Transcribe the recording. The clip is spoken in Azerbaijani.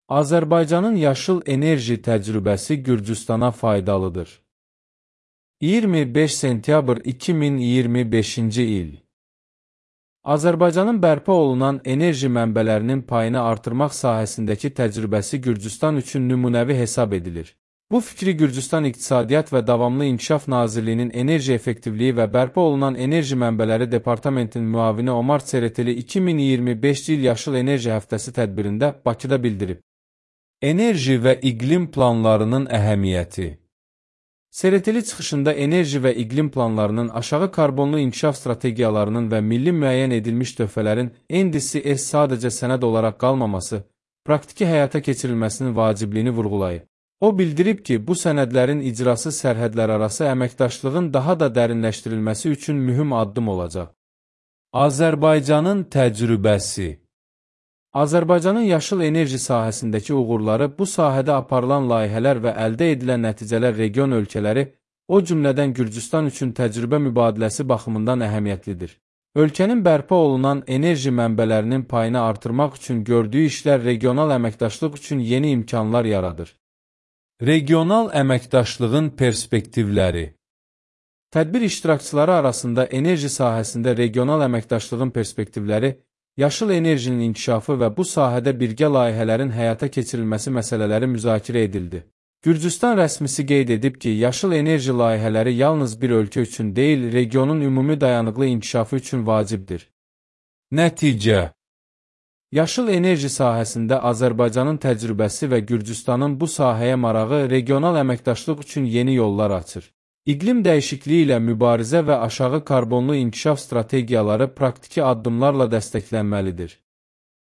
Azərbaycanın yaşıl enerji təcrübəsi Gürcüstana faydalıdır. 25 sentyabr 2025-ci il. Azərbaycanın bərpa olunan enerji mənbələrinin payını artırmaq sahəsindəki təcrübəsi Gürcüstan üçün nümunəvi hesab edilir. Bu fikri Gürcüstan İqtisadiyyat və Davamlı İnkişaf Nazirliyinin Enerji Effektivliyi və Bərpa olunan Enerji Mənbələri Departamentinin müavini Omar Çereteli 2025 il Yaşıl Enerji Həftəsi tədbirində Bakıda bildirib. Enerji və iqlim planlarının əhəmiyyəti. Çereteli çıxışında enerji və iqlim planlarının aşağı karbonlu inkişaf strategiyalarının və milli müəyyən edilmiş töhfələrin NDC-S sadəcə sənəd olaraq qalmaması, praktiki həyata keçirilməsinin vacibliyini vurğulayıb. O bildirib ki, bu sənədlərin icrası sərhədlərarası əməkdaşlığın daha da dərinləşdirilməsi üçün mühüm addım olacaq. Azərbaycanın təcrübəsi. Azərbaycanın yaşıl enerji sahəsindəki uğurları, bu sahədə aparılan layihələr və əldə edilən nəticələr region ölkələri, o cümlədən Gürcüstan üçün təcrübə mübadiləsi baxımından əhəmiyyətlidir. Ölkənin bərpa olunan enerji mənbələrinin payını artırmaq üçün gördüyü işlər regional əməkdaşlıq üçün yeni imkanlar yaradır. Regional əməkdaşlığın perspektivləri. Tədbir iştirakçıları arasında enerji sahəsində regional əməkdaşlığın perspektivləri, yaşıl enerjinin inkişafı və bu sahədə birgə layihələrin həyata keçirilməsi məsələləri müzakirə edildi. Gürcüstan rəsmisi qeyd edib ki, yaşıl enerji layihələri yalnız bir ölkə üçün deyil, regionun ümumi dayanıqlı inkişafı üçün vacibdir. Nəticə. Yaşıl enerji sahəsində Azərbaycanın təcrübəsi və Gürcüstanın bu sahəyə marağı regional əməkdaşlıq üçün yeni yollar açır. İqlim dəyişikliyi ilə mübarizə və aşağı karbonlu inkişaf strategiyaları praktiki addımlarla dəstəklənməlidir.